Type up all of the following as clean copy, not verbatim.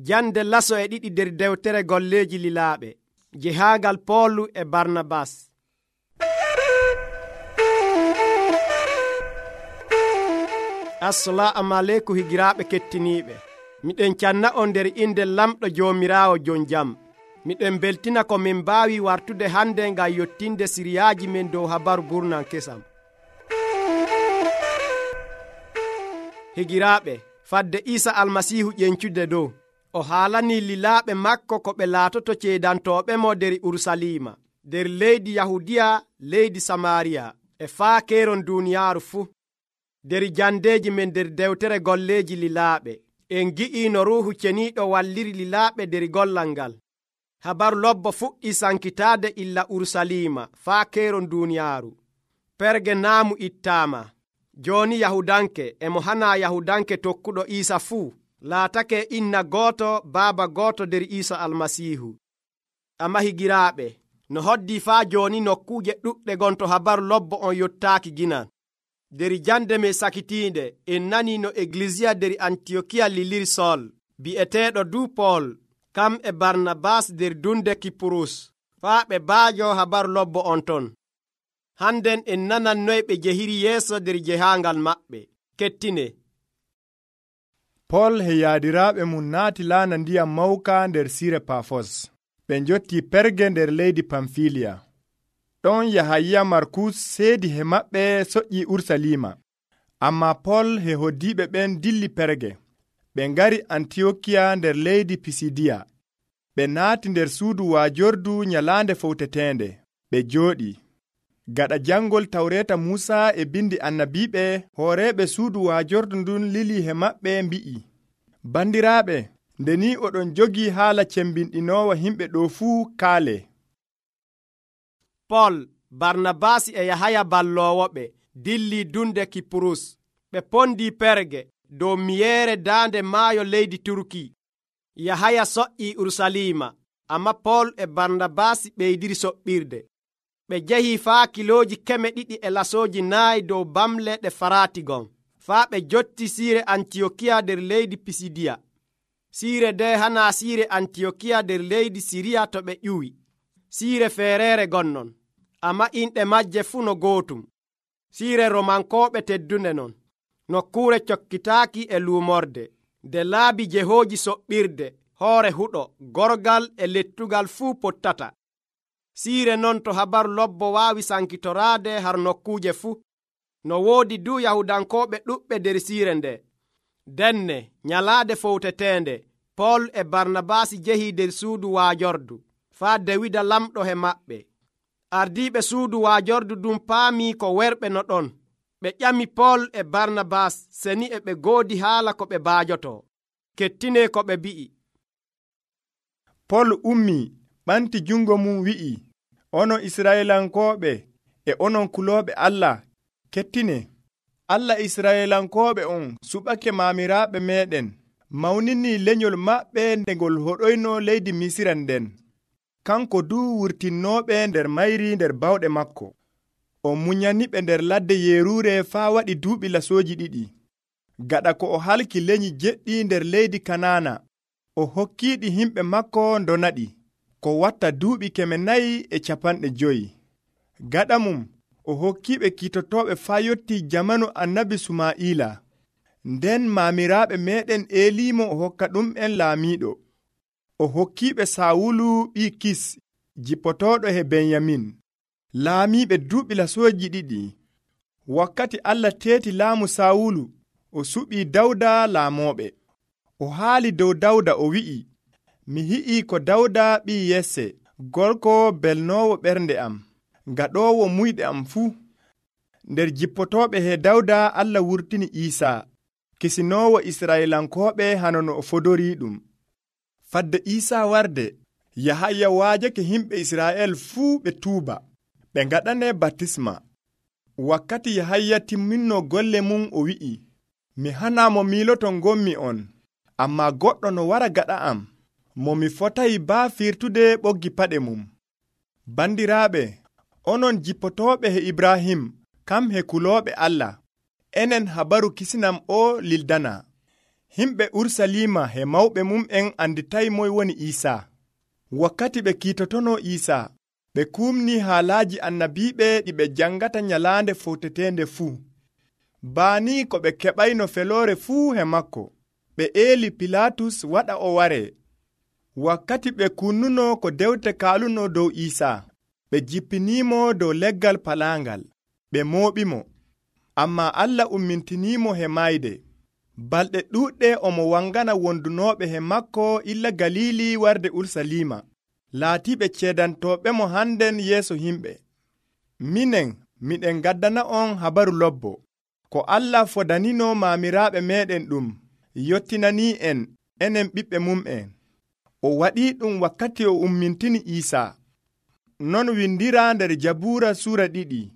Jande laso e ɗiɗi nder dewtere golleeji lilaaɓe. Jehaagal Poolu e Barnabas. Assalamu aleykum higiraaɓe kettiniiɓe. Miɗen canna on nder inde lamɗo Joomiraawo jon jam. Miɗen beltina ko min mbaawi wartude hande ngam yottinde siriyaaji men dow habaru burnan kesam. Higiraaɓe, fadde Iisa Almasiihu ƴencude dow, o haalanii lilaaɓe makko ko ɓe laatoto ceedantooɓe mo nder Urusalima, nder leydi Yahudiya, leydi Samaariya, e faa keeron duuniyaaru fuu. Nder jandeeji men nder dewtere golleeji lilaaɓe, en gi'ii no Ruuhu Ceniiɗo walliri lilaaɓe nder gollal ngal. Habaru lobbo fuɗɗii sankitaade illa Urusalima faa keeron duuniyaaru. Perge naamu ittaama. Jooni Yahudanke e mo hanaa Yahudanke tokkuɗo Iisa fuu laatake inna gooto baaba gooto nder Iisa Almasiihu. Amma higiraaɓe, no hoddii faa jooni nokkuuje ɗuɗɗe gonto habaru lobbo on yottaaki ginan. Nder jande men sakitiinde en nanii no Eglisiya nder Antiyokiya liliri Sol bi'eteeɗo duu Pool, kam e Barnabas nder dunde Kipurus faa ɓe baajo habaru lobbo on ton. Hannden en nanan noy ɓe jehiri yeeso nder jehaangal maɓɓe. Kettine. Pool e yaadiraaɓe mum naati laana ndiyam mawka nder Sire Pafos. Ɓe njottii Perge nder leydi Pamfiliya. Ɗon Yahaya Markus seedi he maɓɓe soƴƴii Urusalima. Ammaa Pool e hoddiiɓe ɓen dilli Perge. Ɓe ngari Antiyokiya nder leydi Pisidiya. Ɓe naati nder suudu waajordu nyalaande fowteteende. Ɓe jooɗii. Gaɗa jangol Tawreeta Muusa e bindi annabiiɓe, hooreeɓe suudu waajordu ndun lili he maɓɓe mbi'i, bandiraaɓe, nde ni oɗon jogii haala cembinɗinoowa himɓe ɗo fuu kaale. Pool, Barnabasi e Yahaya balloowoɓe dilli dunde Kipurus. Ɓe pondii Perge dow miyeere daande maayo leydi Turki. Yahaya soƴƴii Urusalima, amma Pool e Barnabasi ɓeydiri soɓɓirde. Ɓe jehii faa kilooji 200 e lasooji 4 dow bamle ɗe Faratigon, faa ɓe jotti siire Antiyokiya nder leydi Pisidiya. Siire nde hanaa siire Antiyokiya nder leydi Siriya to ɓe ƴuwi. Siire feereere gonnon, amma inɗe majje fuu no gootum. Siire Romankooɓe teddunde non, nokkuure cokkitaaki e luumorde, nde laabi jehooji soɓɓirde, hoore huɗo, gorgal e lettugal fuu pottata. Siire non to habaru lobbo waawi sankitoraade har nokkuuje fuu. No woodi du Yahudankooɓe ɗuɓɓe nder siire nde. Denne nyalaade fowteteende, Pool e Barnabasi jehii nder suudu waajordu, faa Dawida lamɗo he maɓɓe. Ardiiɓe suudu waajordu ɗum paamii ko werɓe no ɗon. Ɓe ƴami Pool e Barnabas seni e ɓe goodi haala ko ɓe baajotoo. Kettine ko ɓe mbi'i. Pool ummii, ɓanti jungo mum wi'i, onon Israyelankooɓe e onon kulooɓe Allah, kettine. Allah Israyelankooɓe on suɓake maamiraaɓe meeɗen, mawninii lenyol maɓɓe nde ngol hoɗoyno leydi Misira nden. Kanko du wurtinnooɓe nder mayri nder bawɗe makko. O munyaniɓe nder ladde yeeruure faa waɗi duuɓi lasooji 2. Gaɗa ko o halki lenyi jeɗɗi nder leydi Kanaana, o hokkiiɗi himɓe makko ndonaɗi, ko watta duuɓi 450. Gaɗa mum, o hokkiiɓe kiitotooɓe faa yottii jamanu annabi Sumaa'ila. Nden maamiraaɓe meeɗen Eliimo o hokka ɗum'en laamiiɗo. O hokkiiɓe Sawulu ɓii Kis, jippotooɗo he Benyamin, laamiiɓe duuɓi lasooji 2. Wakkati Allah teeti laamu Sawulu, o suɓii Dawda laamooɓe. O haali dow Dawda o wi'i, mi hi'ii ko Dawda ɓii Yesse, gorko belnoowo ɓernde am, gaɗoowo muyɗe am fuu. Nder jippotooɓe he Dawda Allah wurtini Iisaa, kisinoowo Israyelankooɓe hano no o fodorii ɗum. Fadde Iisaa warde, Yahaya waajake himɓe Israa'el fuu ɓe tuuba, ɓe ngaɗane batisma. Wakkati Yahaya timminno golle mum o wi'i, mi hanaa mo miiloto ngommi on, ammaa goɗɗo no wara gaɗa am, mo mi fotayi baa firtude ɓoggi paɗe mum. Bandiraaɓe, onon jippotooɓe he Ibrahim, kam he kulooɓe Allah, enen habaru kisinam o lildana. Himɓe Urusalima he mawɓe mum'en anditay moy woni Iisaa. Wakkati ɓe kiitotono Iisaa, ɓe kumni haalaaji annabiiɓe ɗi ɓe jangata nyalaande fowtetende fuu. Baani ko ɓe keɓayno feloore fuu he makko, ɓe eeli Pilaatus waɗa o waree. Wakkati ɓe kunnuno ko dewte kaaluno dow Iisaa, ɓe jippiniimo dow leggal palaangal, ɓe mooɓimo. Ammaa Allah ummintiniimo he mayde. Balɗe ɗuuɗɗe omo wangana wondunooɓe he makko illa Galiili warde Urusalima, laatiiɓe ceedantooɓemo hannden yeeso himɓe. Minen, miɗen gaddana on habaru lobbo, ko Allah fodanino maamiraaɓe meeɗen ɗum, yottinanii en, enen ɓiɓɓe mum'en. O waɗii ɗum wakkati o ummintini Iisaa. Non windiraa nder Jabuura suura 2.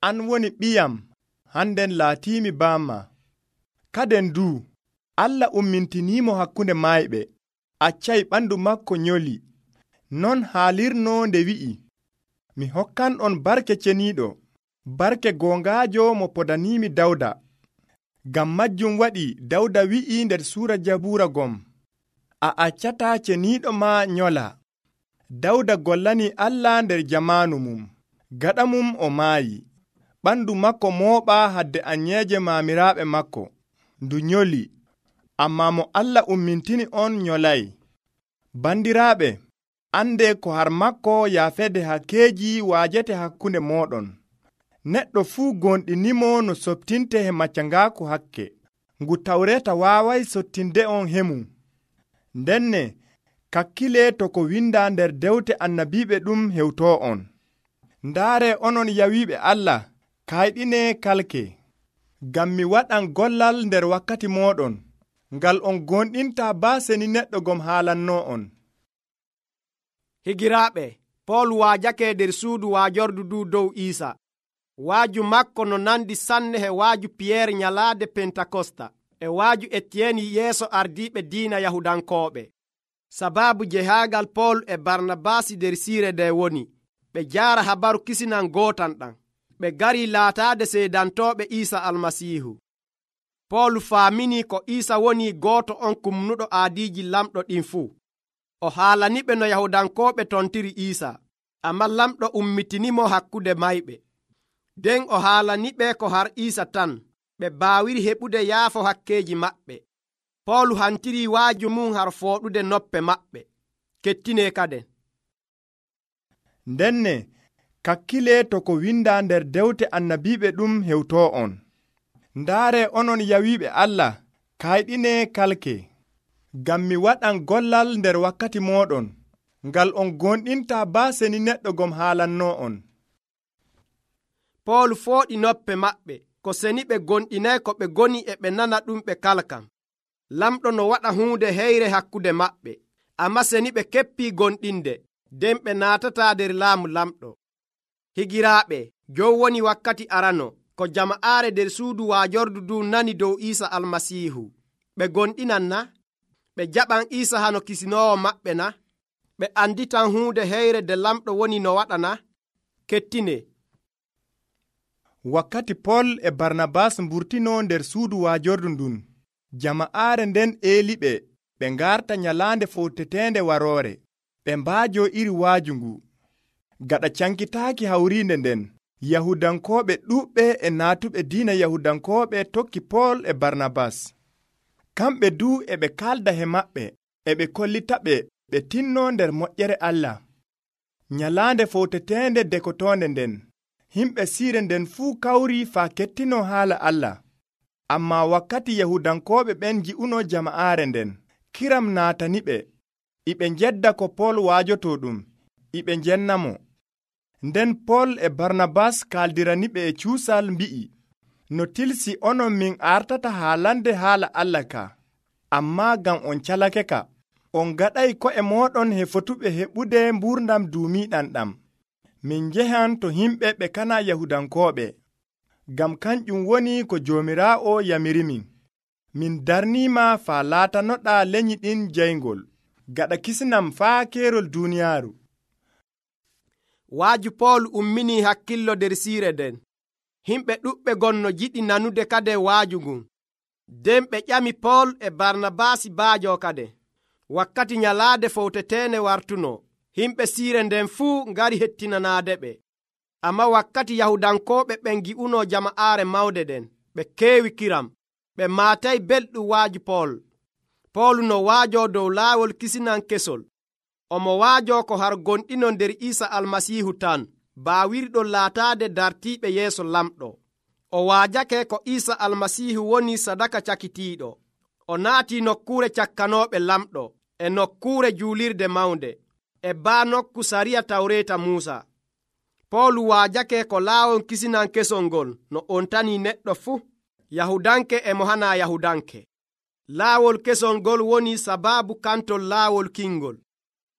An woni ɓiyam, hannden laatiimi baamma. Kaden duu, Allah ummintiniimo hakkunde mayɓe, accay ɓandu makko nyoli. Non haalirno nde wi'i, mi hokkan'on barke ceniiɗo, barke goongaajo mo podaniimi Dawda. Ngam majjum waɗi Dawda wi'i nder suura Jabuura gom, a accataa ceniiɗo ma nyola. Dawda gollani Allah nder jamaanu mum, gaɗa mum o maayi. Ɓandu makko mooɓaa hadde anyeeje maamiraaɓe makko, ndu nyoli, ammaa mo Allah ummintini on nyolay. Bandiraaɓe, ande ko har makko yaafede hakkeeji waajete hakkunde mooɗon. Neɗɗo fuu gonɗinimo no sottinte he maccangaaku hakke, ngu Tawreeta waaway sottinde on hemum. Ndenne, kakkile to ko windaa nder dewte annabiiɓe ɗum hewtoo on. Ndaare onon yawiiɓe Allah, kayɗine kalke, ngam mi waɗan gollal nder wakkati mooɗon, ngal on gonɗintaa baaseni neɗɗo gom haalannoo on. Higiraaɓe, Pool waajake nder suudu waajordu du dow Iisa. Waaju makko no nandi sanne he waaju Piyeer nyalaade Pentakosta e waaju Etiyeni yeeso ardiiɓe diina Yahudankooɓe. Sabaabu jehaagal Pool e Barnabaasi nder siire nde woni, ɓe jaara habaru kisinan gootan ɗan. Ɓe gari laataade seedantooɓe Iisa Almasiihu. Pool faamini ko Iisa woni gooto on kumnuɗo aadiiji lamɗo ɗin fuu. O haalaniɓe no Yahudankooɓe tontiri Iisa, ammaa lamɗo ummitinimo hakkunde mayɓe. Nden o haalaniɓe ko har Iisa tan, ɓe baawiri heɓude yaafo hakkeeji maɓɓe. Pool hantiri waaju mum har fooɗude noppe maɓɓe. Kettine kaden. Ndenne, kakkile to ko windaa nder dewte annabiiɓe ɗum hewtoo on. Ndaare onon yawiiɓe Allah, kayɗine kalke, ngam mi waɗan gollal nder wakkati mooɗon, ngal on gonɗintaa baaseni neɗɗo gom haalannoo on. Pool fooɗi noppe maɓɓe, ko seni ɓe gonɗinay ko ɓe goni e ɓe nana ɗum ɓe kalkam. Lamɗo no waɗa huunde heyre hakkude maɓɓe, ammaa seni ɓe keppii gonɗinde, nden ɓe naatataa nder laamu lamɗo. Higiraaɓe, jon woni wakkati arano, ko jama'aare nder suudu waajordu du nani dow Iisa Almasiihu. Ɓe gonɗinan na? Ɓe jaɓan Iisa hano kisinoowo maɓɓe na? Ɓe anditan huunde heyre nde lamɗo woni no waɗa na? Kettine. Wakkati Pool e Barnabas mburtino nder suudu waajordu ndun, jama'aare nden eeliɓe ɓe ngarta nyalaande fowtetende waroore, ɓe mbaajo iri waaju ngu. Gaɗa cankitaaki hawriinde nden, Yahudankooɓe ɗuuɓɓe e naatuɓe diina Yahudankooɓe tokki Pool e Barnabas. Kamɓe duu e ɓe kaalda he maɓɓe, e ɓe kollita ɓe tinno nder moƴƴere Allah. Nyalaande fowtetende dekotoonde nden, himɓe siire nden fuu kawri faa kettino haala Allah. Ammaa wakkati Yahudankooɓe ɓen ji'uno jama'aare nden, kiram naataniɓe, iɓe njedda ko Pool waajoto ɗum, iɓe njennamo. Nden Pool e Barnabas kaaldiraniɓe e cuusal mbi'i, no tilsi onon min artata haalande haala Allah ka, ammaa ngam on calake ka, on gaɗay ko'e mooɗon he fotuɓe heɓude mbuurdam duumiiɗam ɗam. Min njehan to himɓe ɓe kana Yahudankooɓe, ngam kanƴum woni ko Joomiraawo yamirimin. Min darniima faa laatanoɗaa lenyi ɗin jayngol, gaɗa kisinam faa keerol duuniyaaru. Waaju Pool ummini hakkillo nder siire nden. Himɓe ɗuɓɓe gonno jiɗi nanude kade waaju ngun. nden ɓe ƴami Pol e Barnabaasi baajo kade. Wakkati nyalaade fowtetene wartuno, himɓe siire nden fuu ngari hettinanaade ɓe. Amma wakkati Yahudankooɓe ɓen gi'uno jama'aare mawde ɗen, ɓe keewi kiram, ɓe maatay belɗum waaju Pol. Pol no waajo dow laawol kisinan kesol. Omo waajo ko har gonɗino nder Iisa Almasiihu tan, baawirɗo laataade dartiiɓe yeeso lamɗo. O waajake ko Iisa Almasiihu woni sadaka cakitiiɗo. O naati nokkuure cakkanooɓe lamɗo, e nokkuure juulirde mawnde, e baa nokku sariya tawreeta Muusa. Pol waajake ko laawol kisinan kesol ngol no on tanii neɗɗo fuu, Yahudanke e mo hanaa Yahudanke. Laawol kesol ngol woni sabaabu kantol laawol kingol.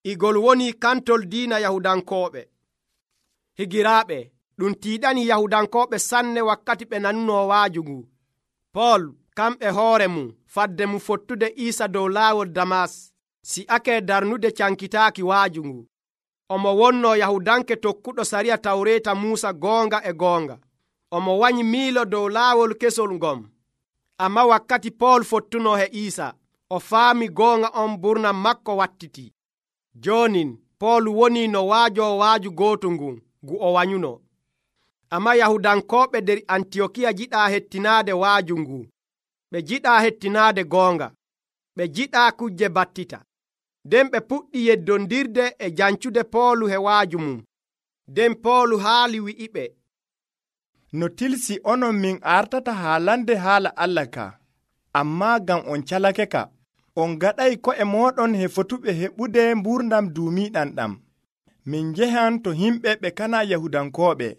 Igol woni kantol diina Yahudankooɓe. Higiraaɓe, ɗum tiiɗani Yahudankooɓe sanne wakkati ɓe nanuno waaju ngu. Pol kamɓe hoore mum fadde mum fottude Iisa dow laawol Damas si'ake darnude cankitaaki waaju ngu. Omo wonno Yahudanke tokkuɗo sariya tawreeta Muusa goonga e goonga. Omo wanyi miilo dow laawol kesol ngom. Amma wakkati Pol fottuno he Iisa, o faami goonga on burnam makko wattiti. Jonin Pol woni no waajo waaju gooto ngun ngu o wanyuno. Amma Yahudankooɓe nder Antiyokiya jiɗaa hettinaade waaju ngu. Ɓe jiɗaa hettinaade goonga. Ɓe jiɗaa kujje battita. Nden ɓe puɗɗi yeddondirde e jancude Poolu he waaju mum. Nden Poolu haali wi'iɓe, no tilsi onon min artata haalande haala Allah ka, ammaa ngam on calake ka, on gaɗay ko'e mooɗon he fotuɓe heɓude mburdam duumiiɗam ɗam. Min njehan to himɓe ɓe kana Yahudankooɓe,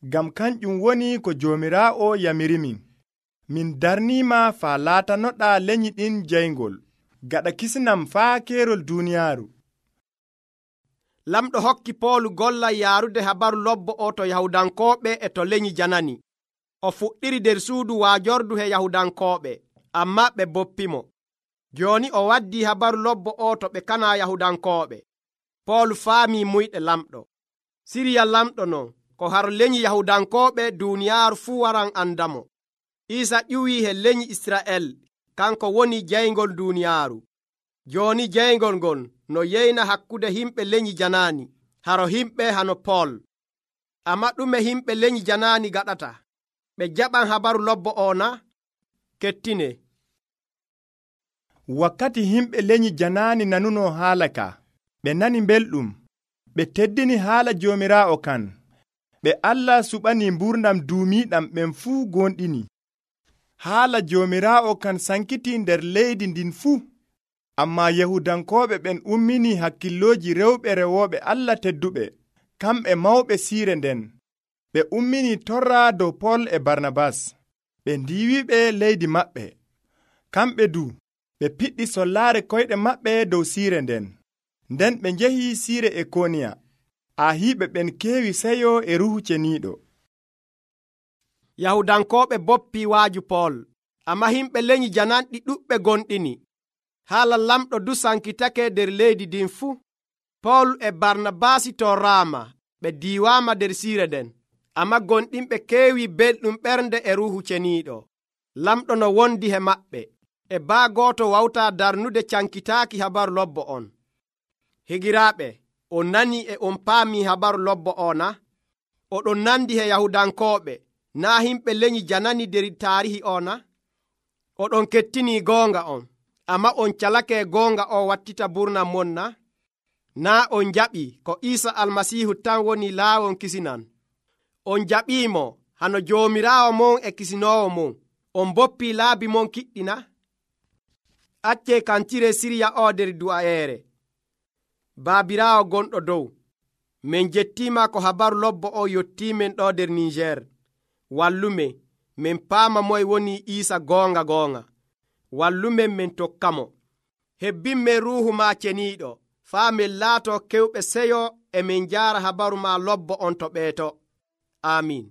ngam kanƴum woni ko Joomiraawo yamirimin. Min darniima faa laatanoɗaa lenyi ɗin jayngol, gaɗa kisnam faa keerol duuniyaaru. Lamɗo hokki Poolu gollal yaarude habaru lobbo o to Yahudankooɓe e to lenyi janani. O fuɗɗiri nder suudu waajordu he Yahudankooɓe, amma ɓe boppimo. Jooni o waddii habaru lobbo o to ɓe kana Yahudankooɓe. Poolu faamii muyɗe lamɗo. Siriya lamɗo non, ko har lenyi Yahudankooɓe duuniyaaru fuu waran andamo. Iisa ƴuwii he lenyi Isra'el, kanko woni jayngol duuniyaaru. Jooni jayngol ngol no yeyna hakkude himɓe lenyi janaani, haro himɓe hano Pol. Amma ɗume himɓe lenyi janaani gaɗata? Ɓe jaɓan habaru lobbo o na? Kettine. Wakkati himɓe lenyi janaani nanuno haala ka, ɓe nani belɗum, ɓe teddini haala Joomiraawo kan. Ɓe Allah suɓani mburnam duumiiɗam ɓen fuu gonɗini. Haala Joomiraawo kan sankiti nder leydi ndin fuu. Amma Yahudankooɓe ɓen ummini hakkillooji rewɓe rewooɓe Allah tedduɓe, kamɓe mawɓe siire nden. Ɓe ummini torra dow Pol e Barnabas. Ɓe ndiiwiɓe leydi maɓɓe. Kamɓe du, ɓe piɗɗi sollaare koyɗe maɓɓe dow siire nden. Nden ɓe njehi siire Ikoniya. Ahiiɓe ɓen keewi seyo e Ruuhu Ceniiɗo. Yahudankooɓe boppii waaju Pol, amma himɓe lenyi jananɗi ɗuɓɓe gonɗini. Haala lamɗo du sankitake nder leydi ndin fuu. Pol e Barnabaasi torraama, ɓe diiwaama nder siire nden, amma gonɗinɓe keewi belɗum ɓernde e Ruuhu Ceniiɗo. Lamɗo no wondi he maɓɓe, e baa gooto wawtaa darnude cankitaaki habaru lobbo on. Higiraaɓe, on nani e on paamii habaru lobbo o na? Oɗon nandi he Yahudankooɓe, naa himɓe lenyi janani nder taarihi o na? Oɗon kettinii goonga on, amma on calake goonga o wattita burnam mon na? Naa on jaɓi ko Iisa Almasiihu tan woni laawol kisinan. On jaɓiimo hano Joomiraawo mon e kisinoowo mon. On boppii laabi mon kiɗɗi na? Accee kantire siriya o nder du'ayeere. Baabiraawo gonɗo dow, min jettiima ko habaru lobbo o yottiimen ɗo nder Niijer. Wallumen, min paama moye woni Iisa goonga goonga. Wallumen min tokkamo. Hebbinmen ruuhu ma ceniiɗo, faa min laato kewɓe seyo e min jaara habaru ma lobbo on to ɓeeto. Amiin.